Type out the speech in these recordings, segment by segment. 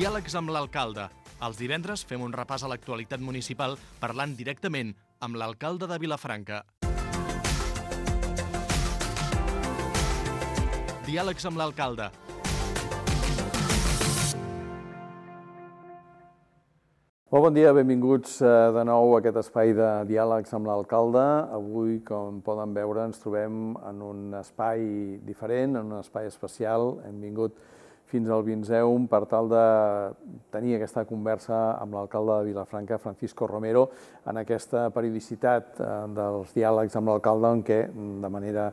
Diàlegs amb l'alcalde. Els divendres fem un repàs a l'actualitat municipal parlant directament amb l'alcalde de Vilafranca. Diàlegs amb l'alcalde. Molt bon dia, benvinguts de nou a aquest espai de diàlegs amb l'alcalde. Avui, com poden veure, ens trobem en un espai diferent, en un espai especial. Hem vingut fins al Vinzeum per tal de tenir aquesta conversa amb l'alcalde de Vilafranca, Francisco Romero, en aquesta periodicitat dels diàlegs amb l'alcalde, en què de manera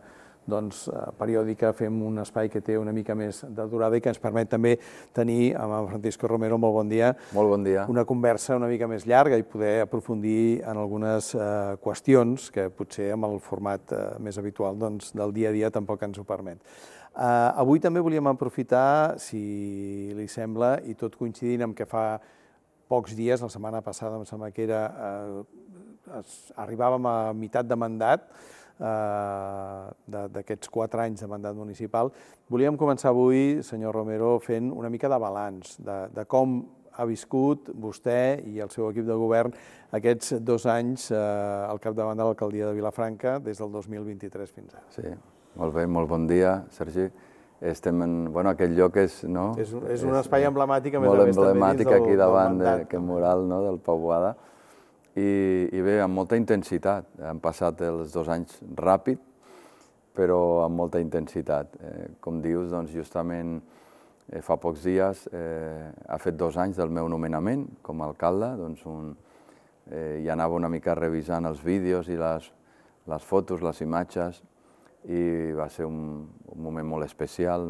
periòdica fem un espai que té una mica més de durada i que ens permet també tenir amb en Francisco Romero, molt bon dia, molt bon dia, una conversa una mica més llarga i poder aprofundir en algunes qüestions que potser amb el format més habitual del dia a dia tampoc ens ho permet. Avui també volíem aprofitar, si li sembla, i tot coincidint amb que fa pocs dies, la setmana passada em sembla que era, arribàvem a meitat de mandat, d'aquests 4 anys de mandat municipal. Volíem començar avui, senyor Romero, fent una mica de balanç de com ha viscut vostè i el seu equip de govern aquests 2 anys al capdavant de l'alcaldia de Vilafranca des del 2023 fins ara. Sí, molt bé, molt bon dia, Sergi. Estem en aquest lloc, no? És un espai emblemàtic, a més molt a més també emblemàtic dins aquí davant mandat. d'aquest mural del Pau Boada. I bé, amb molta intensitat. Han passat els 2 anys ràpid, però amb molta intensitat. Com dius, justament fa pocs dies ha fet 2 anys del meu nomenament com a alcalde. I anava una mica revisant els vídeos i les fotos, les imatges, i va ser un moment molt especial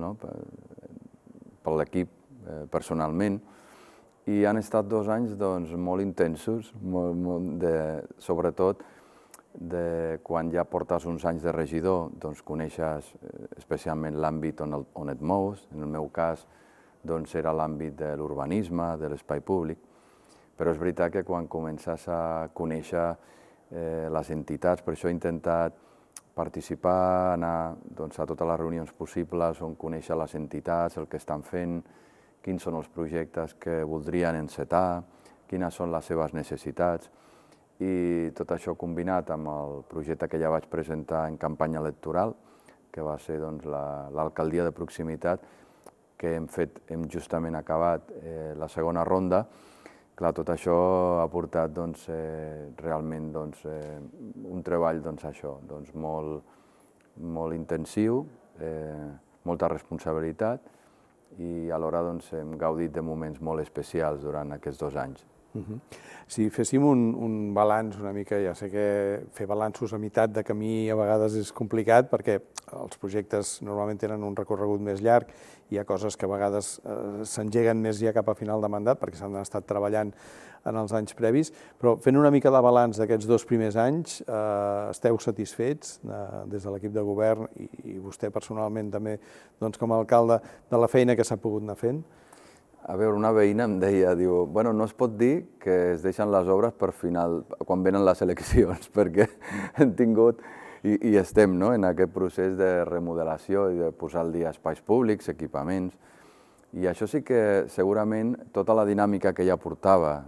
per l'equip personalment. I han estat 2 anys molt intensos, sobretot quan ja portes uns anys de regidor, coneixes especialment l'àmbit on et mous. En el meu cas era l'àmbit de l'urbanisme, de l'espai públic, però és veritat que quan comences a conèixer les entitats, per això he intentat participar, anar a totes les reunions possibles on conèixer les entitats, el que estan fent, quins són els projectes que voldrien encetar, quines són les seves necessitats. I tot això combinat amb el projecte que ja vaig presentar en campanya electoral, que va ser l'alcaldia de proximitat, que hem justament acabat la segona ronda. Clar, tot això ha portat realment un treball molt intensiu, molta responsabilitat, i alhora hem gaudit de moments molt especials durant aquests 2 anys. Si féssim un balanç una mica, ja sé que fer balanços a meitat de camí a vegades és complicat perquè els projectes normalment tenen un recorregut més llarg, hi ha coses que a vegades s'engeguen més ja cap a final de mandat perquè s'han estat treballant en els anys previs, però fent una mica de balanç d'aquests 2 primers anys, esteu satisfets des de l'equip de govern i vostè personalment també com a alcalde de la feina que s'ha pogut anar fent? A veure, una veïna em deia, no es pot dir que es deixen les obres per final, quan venen les eleccions, perquè hem tingut i estem en aquest procés de remodelació i de posar al dia espais públics, equipaments, i això sí que segurament tota la dinàmica que ja portava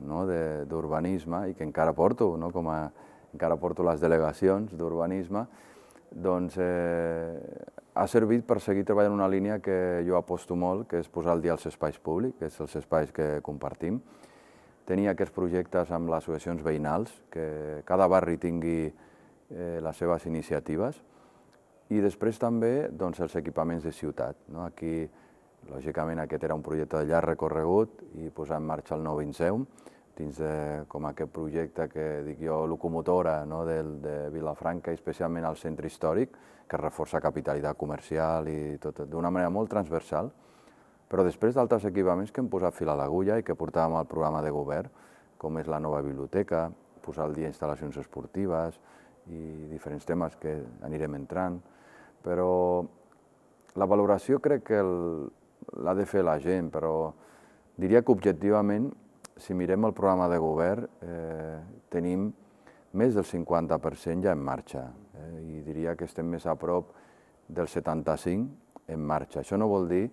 d'urbanisme i que encara porto, encara porto les delegacions d'urbanisme, ha servit per seguir treballant una línia que jo aposto molt, que és posar al dia els espais públics, que és els espais que compartim. Tenir aquests projectes amb les associacions veïnals, que cada barri tingui les seves iniciatives, i després també els equipaments de ciutat. Aquí, lògicament, aquest era un projecte de llarg recorregut i posar en marxa el nou Vinzeum, dins com aquest projecte que dic jo, locomotora de Vilafranca, especialment al centre històric, que reforça capitalitat comercial i tot d'una manera molt transversal, però després d'altres equipaments que hem posat fil a l'agulla i que portàvem al programa de govern, com és la nova biblioteca, posar al dia instal·lacions esportives i diferents temes que anirem entrant, però la valoració crec que l'ha de fer la gent, però diria que objectivament, si mirem el programa de govern, tenim més del 50% ja en marxa, i diria que estem més a prop del 75% en marxa. Això no vol dir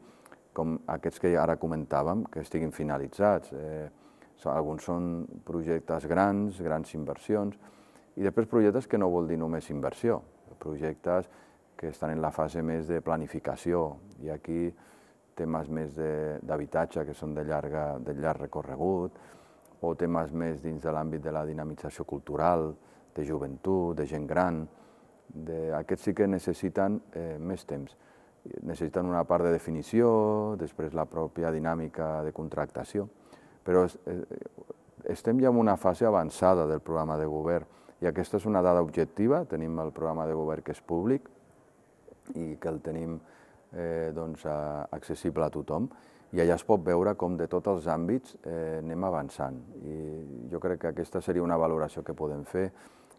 com aquests que ara comentàvem, que estiguin finalitzats. Alguns són projectes grans inversions, i després projectes que no vol dir només inversió, projectes que estan en la fase més de planificació, i aquí temes més d'habitatge que són de llarg recorregut, o temes més dins de l'àmbit de la dinamització cultural, de joventut, de gent gran. Aquests sí que necessiten més temps. Necessiten una part de definició, després la pròpia dinàmica de contractació, però estem ja en una fase avançada del programa de govern, i aquesta és una dada objectiva. Tenim el programa de govern que és públic i que el tenim accessible a tothom, i allà es pot veure com de tots els àmbits anem avançant. I jo crec que aquesta seria una valoració que podem fer,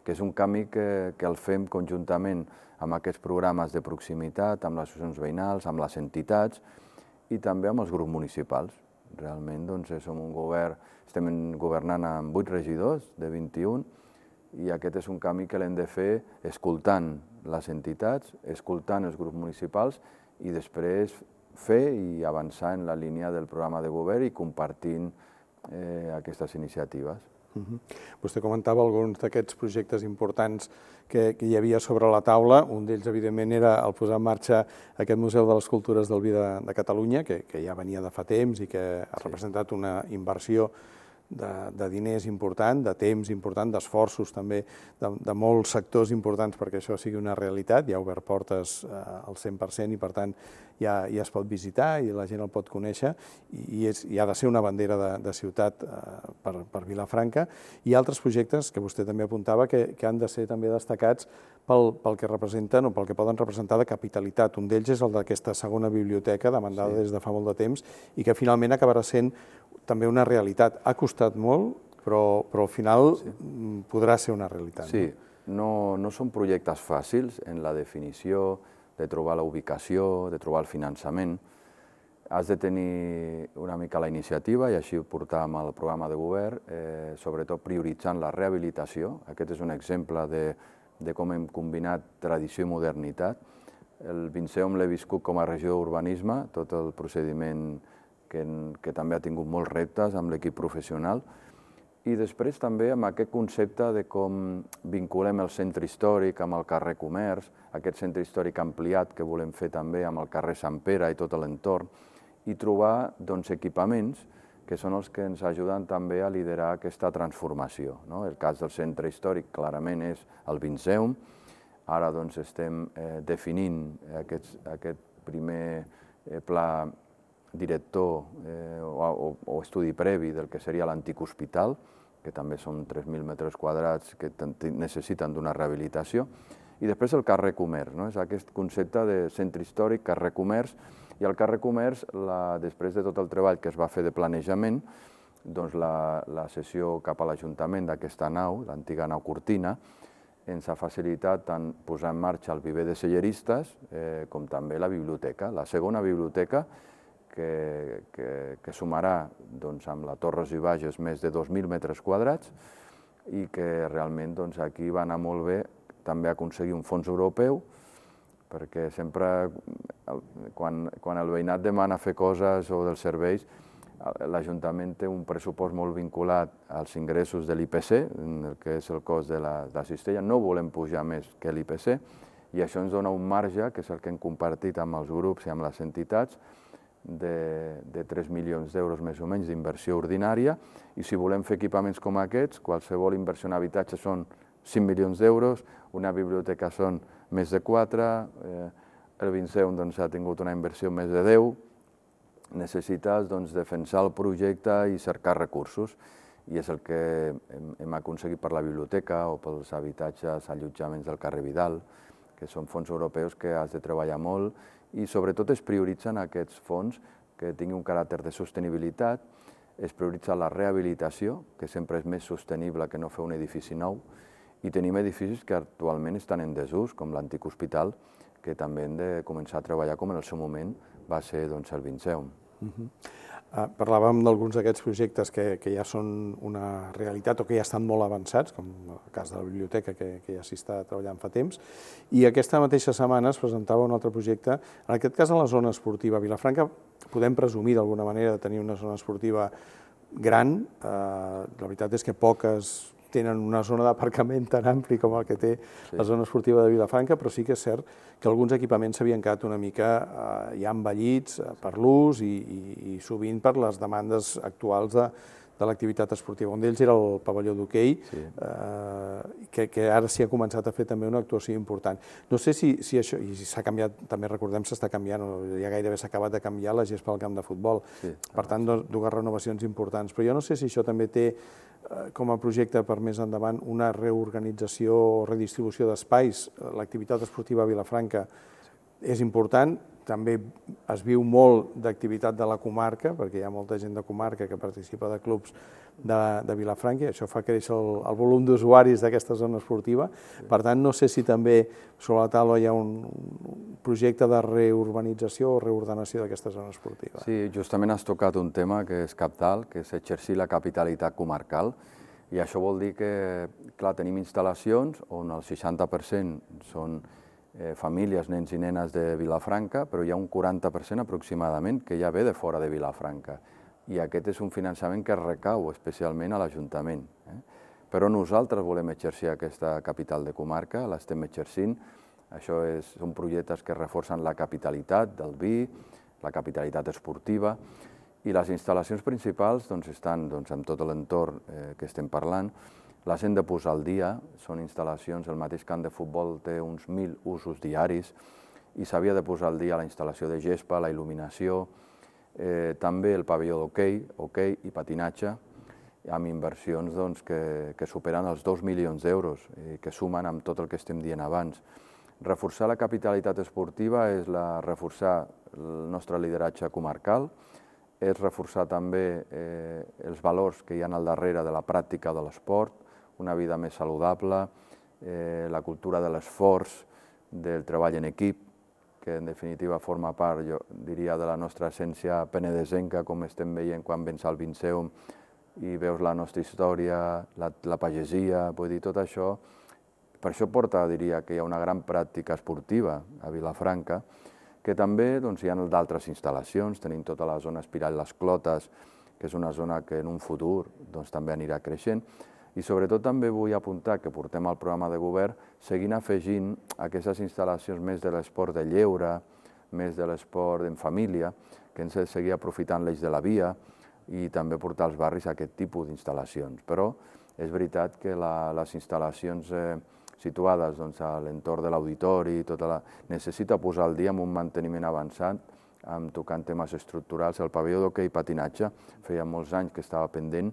que és un canvi que el fem conjuntament amb aquests programes de proximitat, amb les associacions veïnals, amb les entitats i també amb els grups municipals. Realment som un govern, estem governant amb 8 regidors de 21, i aquest és un canvi que l'hem de fer escoltant les entitats, escoltant els grups municipals, i després fer i avançar en la línia del programa de govern i compartint aquestes iniciatives. Vostè comentava alguns d'aquests projectes importants que hi havia sobre la taula. Un d'ells, evidentment, era el posar en marxa aquest Museu de les Cultures del Vi de Catalunya, que ja venia de fa temps i que ha representat una inversió de diners important, de temps important, d'esforços també de molts sectors importants perquè això sigui una realitat. Ja ha obert portes al 100% i, per tant, ja es pot visitar i la gent el pot conèixer, i ha de ser una bandera de ciutat per Vilafranca. I altres projectes que vostè també apuntava que han de ser també destacats pel que representen o pel que poden representar de capitalitat. Un d'ells és el d'aquesta segona biblioteca demandada des de fa molt de temps i que finalment acabarà sent també una realitat. Ha costat molt, però al final podrà ser una realitat. Sí, no són projectes fàcils en la definició, de trobar la ubicació, de trobar el finançament. Has de tenir una mica la iniciativa, i així ho portàvem al programa de govern, sobretot prioritzant la rehabilitació. Aquest és un exemple de com hem combinat tradició i modernitat. El Vinceum l'he viscut com a regió d'urbanisme, tot el procediment que també ha tingut molts reptes amb l'equip professional, i després també amb aquest concepte de com vinculem el centre històric amb el carrer Comerç, aquest centre històric ampliat que volem fer també amb el carrer Sant Pere i tot l'entorn, i trobar equipaments que són els que ens ajuden també a liderar aquesta transformació. El cas del centre històric clarament és el Vinceum. Ara estem definint aquest primer pla director o estudi previ del que seria l'antic hospital, que també són 3.000 metres quadrats que necessiten d'una rehabilitació. I després el carrer Comerç, és aquest concepte de centre històric, carrer Comerç, i el carrer Comerç, després de tot el treball que es va fer de planejament, la cessió cap a l'Ajuntament d'aquesta nau, l'antiga nau Cortina, ens ha facilitat tant posar en marxa el viver de selleristes com també la biblioteca, la segona biblioteca, que sumarà amb la Torres i Bages més de 2.000 metres quadrats, i que realment aquí va anar molt bé també aconseguir un fons europeu, perquè sempre quan el veïnat demana fer coses o dels serveis, l'Ajuntament té un pressupost molt vinculat als ingressos de l'IPC, que és el cost de la cistella. No volem pujar més que l'IPC, i això ens dona un marge, que és el que hem compartit amb els grups i amb les entitats, de 3 milions d'euros més o menys d'inversió ordinària, i si volem fer equipaments com aquests, qualsevol inversió en habitatge són 5 milions d'euros, una biblioteca són més de 4, el Vinceum ha tingut una inversió més de 10, necessites defensar el projecte i cercar recursos, i és el que hem aconseguit per la biblioteca o pels habitatges allotjaments del carrer Vidal, que són fons europeus que has de treballar molt, i sobretot es prioritzen aquests fons que tinguin un caràcter de sostenibilitat, es prioritza la rehabilitació, que sempre és més sostenible que no fer un edifici nou, i tenim edificis que actualment estan en desús, com l'antic hospital, que també hem de començar a treballar com en el seu moment va ser el Vinceum. Parlàvem d'alguns d'aquests projectes que ja són una realitat o que ja estan molt avançats, com el cas de la biblioteca, que ja s'hi està treballant fa temps, i aquesta mateixa setmana es presentava un altre projecte, en aquest cas a la zona esportiva. Vilafranca podem presumir d'alguna manera de tenir una zona esportiva gran. La veritat és que poques tenen una zona d'aparcament tan ampli com el que té la zona esportiva de Vilafranca, però sí que és cert que alguns equipaments s'havien quedat una mica ja envellits per l'ús i sovint per les demandes actuals de l'activitat esportiva. Un d'ells era el pavelló d'hoquei, que ara s'hi ha començat a fer també una actuació important. No sé si això, i s'ha canviat, també recordem s'està canviant, ja gairebé s'ha acabat de canviar la gespa al camp de futbol, per tant, dues renovacions importants, però jo no sé si això també té com a projecte per més endavant una reorganització o redistribució d'espais. L'activitat esportiva a Vilafranca és important, també es viu molt d'activitat de la comarca, perquè hi ha molta gent de comarca que participa de clubs de Vilafranca, i això fa créixer el volum d'usuaris d'aquesta zona esportiva. Per tant, no sé si també sobre la taula hi ha un projecte de reurbanització o reordenació d'aquesta zona esportiva. Sí, justament has tocat un tema que és cabdal, que és exercir la capitalitat comarcal, i això vol dir que, clar, tenim instal·lacions on el 60% són famílies, nens i nenes de Vilafranca, però hi ha un 40% aproximadament que ja ve de fora de Vilafranca. I aquest és un finançament que recau especialment a l'Ajuntament. Però nosaltres volem exercir aquesta capital de comarca, l'estem exercint. Això són projectes que reforcen la capitalitat del vi, la capitalitat esportiva, i les instal·lacions principals estan en tot l'entorn que estem parlant. Les hem de posar al dia, són instal·lacions, el mateix camp de futbol té uns 1.000 usos diaris i s'havia de posar al dia la instal·lació de gespa, la il·luminació, també el pavelló d'hoquei i patinatge, amb inversions que superen els 2 milions d'euros, que sumen amb tot el que estem dient abans. Reforçar la capitalitat esportiva és reforçar el nostre lideratge comarcal, és reforçar també els valors que hi ha al darrere de la pràctica de l'esport, una vida més saludable, la cultura de l'esforç, del treball en equip, que en definitiva forma part, jo diria, de la nostra essència penedesenca, com estem veient quan vens al Vinceum i veus la nostra història, la pagesia, vull dir, tot això. Per això porta, diria, que hi ha una gran pràctica esportiva a Vilafranca, que també hi ha d'altres instal·lacions, tenim tota la zona Espiral Les Clotes, que és una zona que en un futur també anirà creixent, i sobretot també vull apuntar que portem al programa de govern seguint afegint aquestes instal·lacions més de l'esport de lleure, més de l'esport en família, que ens ha de seguir aprofitant l'eix de la via i també portar als barris aquest tipus d'instal·lacions. Però és veritat que les instal·lacions situades a l'entorn de l'auditori necessita posar al dia amb un manteniment avançat, tocant temes estructurals. El pavelló d'hoquei i patinatge feia molts anys que estava pendent.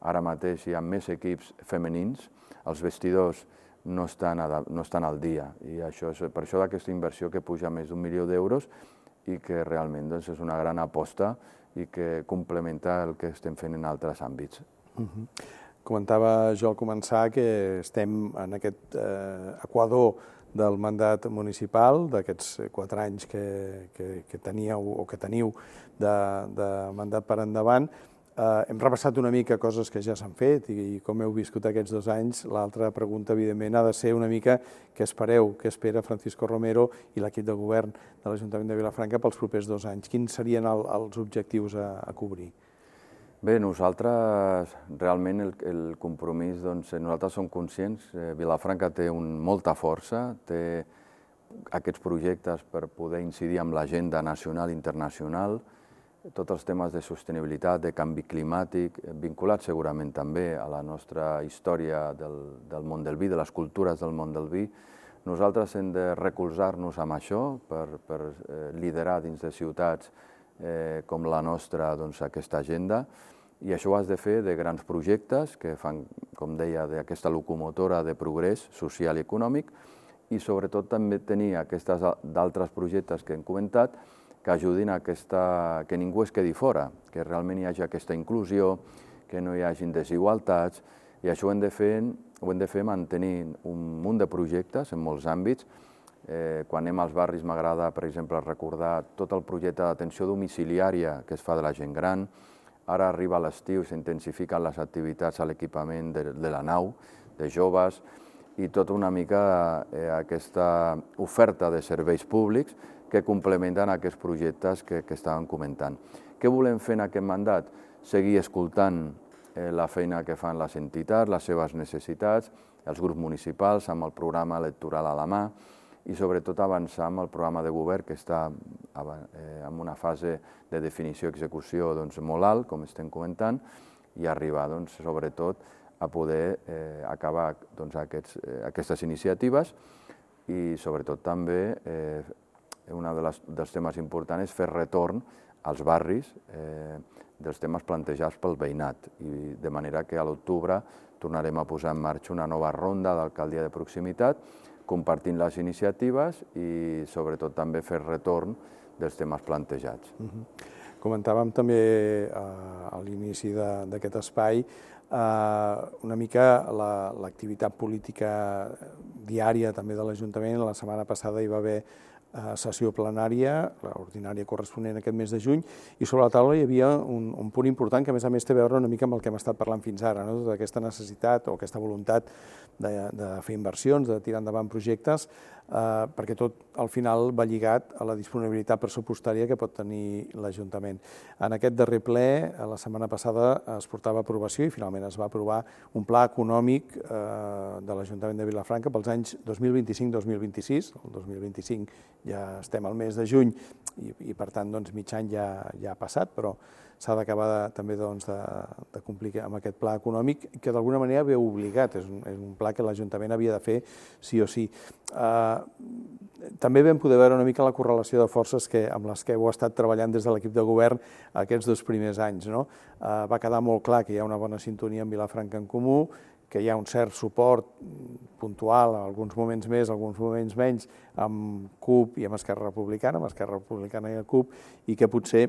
Ara mateix hi ha més equips femenins, els vestidors no estan al dia, i per això d'aquesta inversió que puja més d'1 milió d'euros i que realment és una gran aposta i que complementa el que estem fent en altres àmbits. Comentava jo al començar que estem en aquest equador del mandat municipal, d'aquests 4 anys que teníeu o que teniu de mandat per endavant. Hem repassat una mica coses que ja s'han fet i com heu viscut aquests 2 anys. L'altra pregunta, evidentment, ha de ser una mica què espereu, què espera Francisco Romero i l'equip de govern de l'Ajuntament de Vilafranca pels propers 2 anys. Quins serien els objectius a cobrir? Bé, nosaltres, realment, el compromís, nosaltres som conscients, Vilafranca té molta força, té aquests projectes per poder incidir amb l'agenda nacional i internacional, tots els temes de sostenibilitat, de canvi climàtic, vinculats segurament també a la nostra història del món del vi, de les cultures del món del vi. Nosaltres hem de recolzar-nos amb això per liderar dins de ciutats com la nostra aquesta agenda, i això ho has de fer de grans projectes que fan, com deia, d'aquesta locomotora de progrés social i econòmic, i sobretot també tenir d'altres projectes que hem comentat que ajudin a que ningú es quedi fora, que realment hi hagi aquesta inclusió, que no hi hagin desigualtats, i això ho hem de fer mantenint un munt de projectes en molts àmbits. Quan anem als barris m'agrada, per exemple, recordar tot el projecte d'atenció domiciliària que es fa de la gent gran. Ara arriba l'estiu, s'intensifiquen les activitats a l'equipament de la nau, de joves, i tota una mica aquesta oferta de serveis públics que complementen aquests projectes que estàvem comentant. Què volem fer en aquest mandat? Seguir escoltant la feina que fan les entitats, les seves necessitats, els grups municipals amb el programa electoral a la mà i sobretot avançar amb el programa de govern que està en una fase de definició i execució molt alt, com estem comentant, i arribar sobretot a poder acabar aquestes iniciatives i sobretot també un dels temes importants és fer retorn als barris dels temes plantejats pel veïnat, i de manera que a l'octubre tornarem a posar en marxa una nova ronda d'alcaldia de proximitat, compartint les iniciatives i sobretot també fer retorn dels temes plantejats. Comentàvem també a l'inici d'aquest espai una mica l'activitat política diària també de l'Ajuntament. La setmana passada hi va haver sessió plenària, l'ordinària corresponent aquest mes de juny, i sobre la taula hi havia un punt important que a més té a veure una mica amb el que hem estat parlant fins ara, d'aquesta necessitat o aquesta voluntat de fer inversions, de tirar endavant projectes, perquè tot al final va lligat a la disponibilitat pressupostària que pot tenir l'Ajuntament. En aquest darrer ple, la setmana passada, es portava a aprovació i finalment es va aprovar un pla econòmic de l'Ajuntament de Vilafranca pels anys 2025-2026. El 2025 ja estem al mes de juny i per tant mig any ja ha passat, però s'ha d'acabar també de complir amb aquest pla econòmic que d'alguna manera ve obligat, és un pla que l'Ajuntament havia de fer sí o sí. També vam poder veure una mica la correlació de forces amb les que heu estat treballant des de l'equip de govern aquests 2 primers anys. Va quedar molt clar que hi ha una bona sintonia amb Vilafranca en Comú, que hi ha un cert suport puntual, alguns moments més, alguns moments menys, amb CUP i amb Esquerra Republicana, i el CUP, i que potser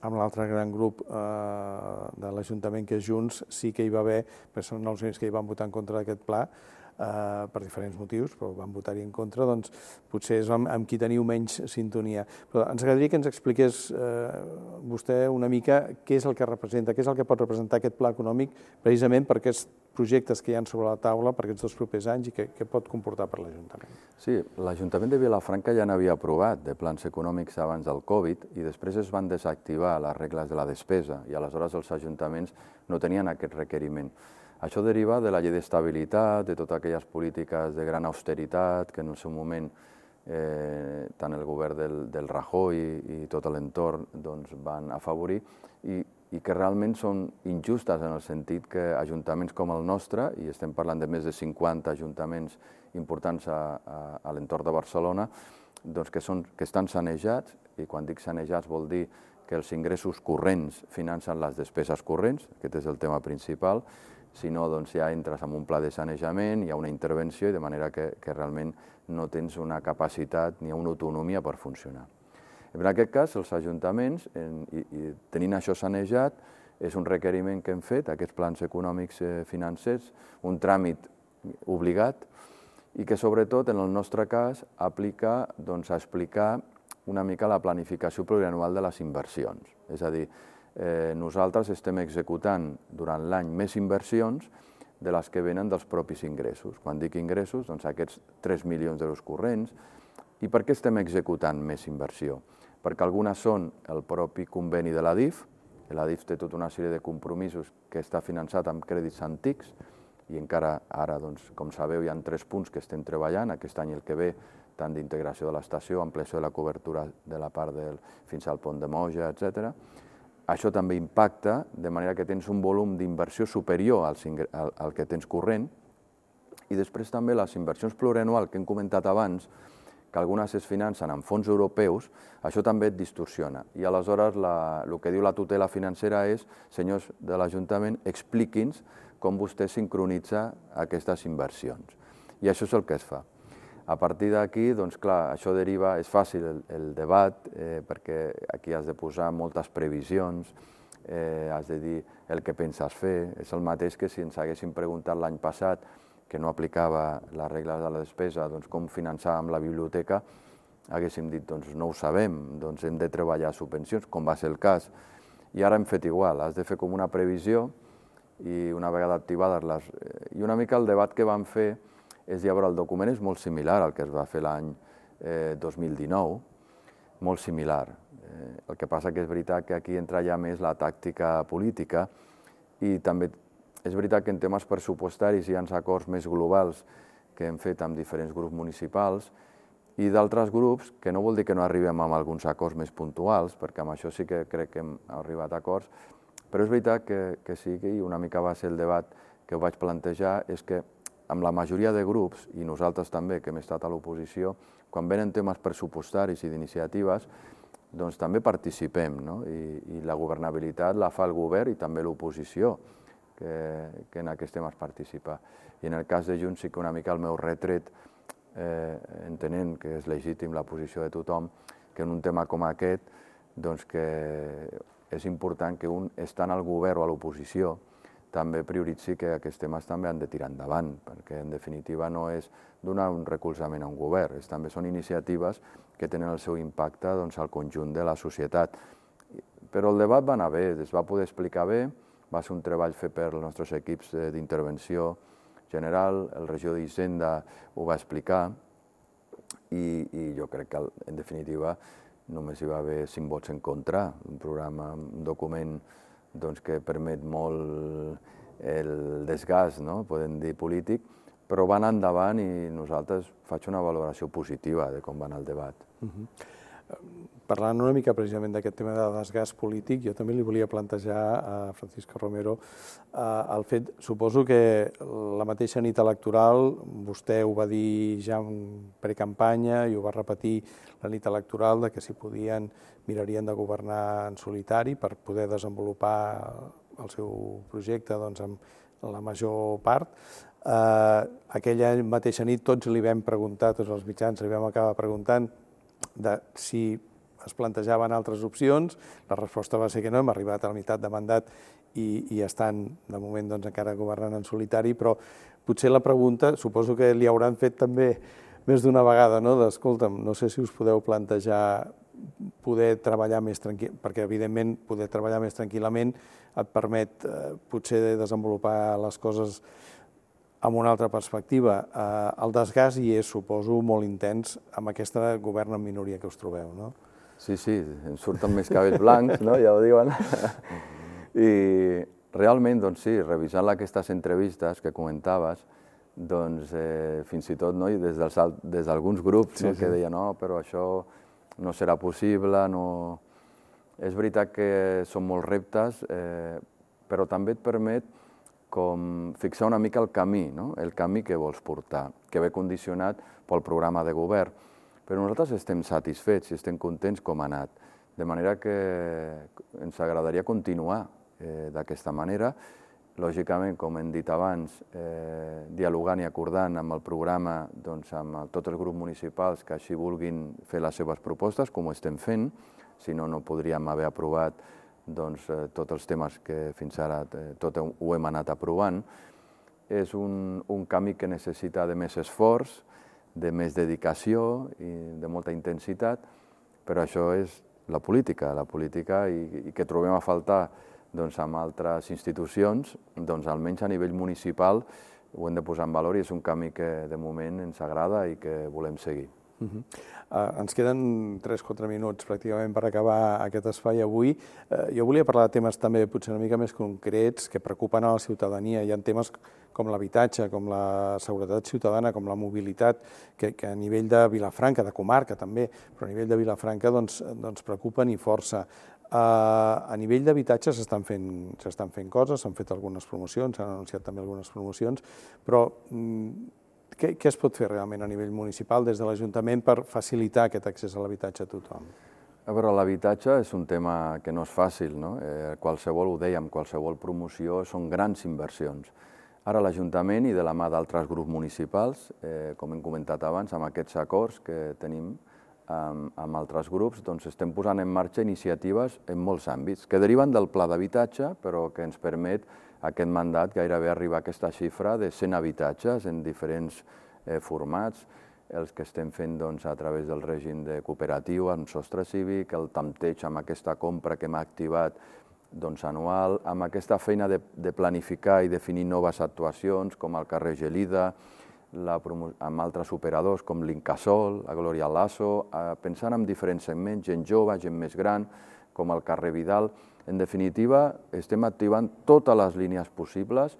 amb l'altre gran grup de l'Ajuntament, que és Junts, sí que hi va haver, perquè són els únics que hi van votar en contra d'aquest pla, per diferents motius, però van votar-hi en contra, doncs potser és amb qui teniu menys sintonia. Però ens agradaria que ens expliqués vostè una mica què és el que representa, què és el que pot representar aquest pla econòmic precisament per aquests projectes que hi ha sobre la taula per aquests 2 propers anys i què pot comportar per l'Ajuntament. Sí, l'Ajuntament de Vilafranca ja n'havia aprovat de plans econòmics abans del Covid i després es van desactivar les regles de la despesa i aleshores els ajuntaments no tenien aquest requeriment. Això deriva de la llei d'estabilitat, de totes aquelles polítiques de gran austeritat que en el seu moment tant el govern del Rajoy i tot l'entorn van afavorir i que realment són injustes en el sentit que ajuntaments com el nostre, i estem parlant de més de 50 ajuntaments importants a l'entorn de Barcelona, que estan sanejats, i quan dic sanejats vol dir que els ingressos corrents financen les despeses corrents, aquest és el tema principal. Si no, ja entres en un pla de sanejament, hi ha una intervenció, i de manera que realment no tens una capacitat ni una autonomia per funcionar. En aquest cas, els ajuntaments, tenint això sanejat, és un requeriment que hem fet, aquests plans econòmics financers, un tràmit obligat, i que sobretot, en el nostre cas, aplica a explicar una mica la planificació plurianual de les inversions. És a dir, nosaltres estem executant durant l'any més inversions de les que venen dels propis ingressos. Quan dic ingressos, aquests 3 milions d'euros corrents. I per què estem executant més inversió? Perquè algunes són el propi conveni de l'ADIF, l'ADIF té tota una sèrie de compromisos que està finançat amb crèdits antics, i encara ara, com sabeu, hi ha 3 punts que estem treballant, aquest any i el que ve, tant d'integració de l'estació, ampliació de la cobertura de la part fins al pont de Moja, etc. Això també impacta, de manera que tens un volum d'inversió superior al que tens corrent, i després també les inversions plurianuals que hem comentat abans, que algunes es financen amb fons europeus, això també et distorsiona. I aleshores el que diu la tutela financera és, senyors de l'Ajuntament, expliqui'ns com vostè sincronitza aquestes inversions. I això és el que es fa. A partir d'aquí, clar, això deriva, és fàcil el debat, perquè aquí has de posar moltes previsions, has de dir el que penses fer. És el mateix que si ens haguéssim preguntat l'any passat, que no aplicava les regles de la despesa, com finançàvem la biblioteca, haguéssim dit, no ho sabem, hem de treballar subvencions, com va ser el cas. I ara hem fet igual, has de fer com una previsió i una vegada activades I una mica el debat que vam fer és, el document és molt similar al que es va fer l'any 2019, molt similar. El que passa que és veritat que aquí entra ja més la tàctica política i també és veritat que en temes pressupostaris hi ha acords més globals que hem fet amb diferents grups municipals i d'altres grups, que no vol dir que no arribem amb alguns acords més puntuals, perquè amb això sí que crec que hem arribat a acords, però és veritat que sí, i una mica va ser el debat que ho vaig plantejar, és que amb la majoria de grups, i nosaltres també, que hem estat a l'oposició, quan venen temes pressupostaris i d'iniciatives, doncs també participem, no? I la governabilitat la fa el govern i també l'oposició, que en aquests temes participa. I en el cas de Junts sí que una mica el meu retret, entenent que és legítim la posició de tothom, que en un tema com aquest, doncs que és important que un, estant al govern o a l'oposició, també prioritzi que aquests temes també han de tirar endavant, perquè en definitiva no és donar un recolzament a un govern, també són iniciatives que tenen el seu impacte doncs, al conjunt de la societat. Però el debat va anar bé, es va poder explicar bé, va ser un treball fet per els nostres equips d'intervenció general, el regidor d'Hisenda ho va explicar i jo crec que en definitiva només hi va haver 5 vots en contra, un programa, un document doncs, que permet molt el desgast, no? Podem dir polític, però va anar endavant i nosaltres faig una valoració positiva de com va anar el debat. Parlant una mica precisament d'aquest tema de desgast polític, jo també li volia plantejar a Francisco Romero el fet, suposo que la mateixa nit electoral, vostè ho va dir ja en precampanya i ho va repetir la nit electoral, de que si podien mirarien de governar en solitari per poder desenvolupar el seu projecte doncs, amb la major part. Aquella mateixa nit tots li vam preguntar, tots els mitjans li vam acabar preguntant de si es plantejaven altres opcions, la resposta va ser que no, hem arribat a la meitat de mandat i estan, de moment, doncs, encara governant en solitari, però potser la pregunta, suposo que li hauran fet també més d'una vegada, no? D'escolta'm, no sé si us podeu plantejar poder treballar més tranquil, perquè evidentment poder treballar més tranquil·lament et permet potser desenvolupar les coses amb una altra perspectiva. El desgast hi és, suposo, molt intens amb aquesta govern en minoria que us trobeu, no? Sí, em surten més cabells blancs, no? Ja ho diuen. I realment, doncs sí, revisant aquestes entrevistes que comentaves, doncs fins i tot des d'alguns grups que deien no, però això no serà possible, no... És veritat que són molts reptes, però també et permet com fixar una mica el camí, no? El camí que vols portar, que ve condicionat pel programa de govern. Però nosaltres estem satisfets i estem contents com ha anat, de manera que ens agradaria continuar d'aquesta manera. Lògicament, com hem dit abans, dialogant i acordant amb el programa, doncs, amb tots els grups municipals que així vulguin fer les seves propostes, com ho estem fent, si no, no podríem haver aprovat doncs, tots els temes que fins ara tot ho hem anat aprovant. És un camí que necessita de més esforç, de més dedicació i de molta intensitat, però això és la política i que trobem a faltar doncs, amb altres institucions, doncs, almenys a nivell municipal ho hem de posar en valor i és un camí que de moment ens agrada i que volem seguir. Ens queden 3-4 minuts pràcticament per acabar aquest espai avui. Jo volia parlar de temes també potser una mica més concrets que preocupen a la ciutadania. Hi ha temes com l'habitatge, com la seguretat ciutadana, com la mobilitat, que a nivell de Vilafranca, de comarca també, però a nivell de Vilafranca doncs preocupen i força. A nivell d'habitatge s'estan fent coses, s'han fet algunes promocions, s'han anunciat també algunes promocions, però què es pot fer realment a nivell municipal des de l'Ajuntament per facilitar aquest accés a l'habitatge a tothom? A veure, l'habitatge és un tema que no és fàcil, no? Qualsevol, ho dèiem, qualsevol promoció són grans inversions. Ara l'Ajuntament i de la mà d'altres grups municipals, com hem comentat abans, amb aquests acords que tenim amb altres grups, doncs estem posant en marxa iniciatives en molts àmbits, que deriven del pla d'habitatge, però que ens permet aquest mandat gairebé arribar a aquesta xifra de 100 habitatges en diferents formats, els que estem fent a través del règim de cooperatiu, amb sostre cívic, el tanteig amb aquesta compra que hem activat anual, amb aquesta feina de planificar i definir noves actuacions, com el carrer Gelida, amb altres operadors com l'Incasol, la Gloria Lasso, pensant en diferents segments, gent jove, gent més gran, com el carrer Vidal. En definitiva, estem activant totes les línies possibles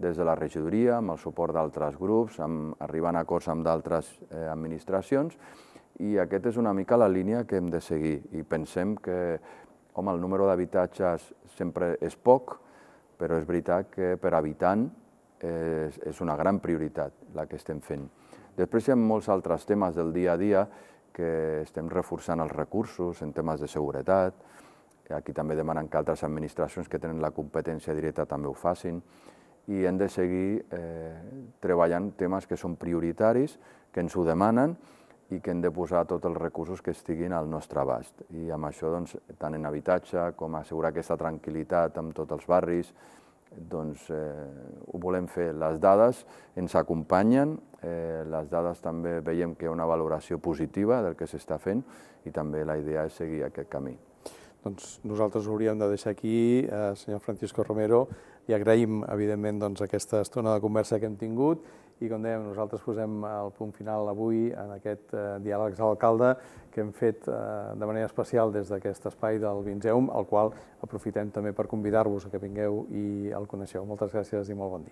des de la regidoria, amb el suport d'altres grups, arribant a acords amb d'altres administracions, i aquesta és una mica la línia que hem de seguir. I pensem que, home, el número d'habitatges sempre és poc, però és veritat que per habitant és una gran prioritat la que estem fent. Després hi ha molts altres temes del dia a dia que estem reforçant els recursos en temes de seguretat. Aquí també demanen que altres administracions que tenen la competència directa també ho facin. I hem de seguir treballant temes que són prioritaris, que ens ho demanen i que hem de posar tots els recursos que estiguin al nostre abast. I amb això, tant en habitatge com assegurar aquesta tranquil·litat amb tots els barris, ho volem fer. Les dades ens acompanyen, les dades també veiem que hi ha una valoració positiva del que s'està fent i també la idea és seguir aquest camí. Doncs nosaltres ho hauríem de deixar aquí, senyor Francisco Romero, i agraïm, evidentment, aquesta estona de conversa que hem tingut i, com dèiem, nosaltres posem el punt final avui en aquest diàleg amb l'alcalde que hem fet de manera especial des d'aquest espai del Vinzeum, al qual aprofitem també per convidar-vos a que vingueu i el coneixeu. Moltes gràcies i molt bon dia.